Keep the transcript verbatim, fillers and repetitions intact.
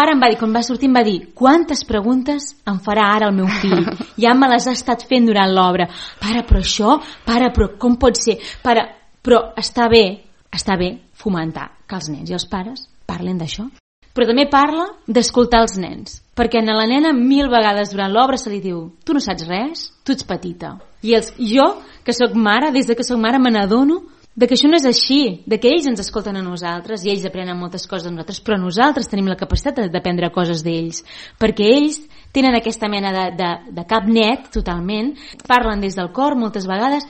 pare em va dir, quan va sortir em va dir, quantes preguntes em farà ara el meu fill? Ja me les ha estat fent durant l'obra. Pare, però això? Pare, però com pot ser? Pare, però està bé, està bé fomentar que els nens i els pares parlin d'això. Però també parla d'escoltar els nens, perquè a la nena mil vegades durant l'obra se li diu, tu no saps res, tu ets petita. I els, jo, que sóc mare, des de que sóc mare me n'adono de que això no és així, de que ells ens escolten a nosaltres i ells aprenen moltes coses de nosaltres, però nosaltres tenim la capacitat d'aprendre coses d'ells, perquè ells tenen aquesta mena de, de, de cap net totalment, parlen des del cor moltes vegades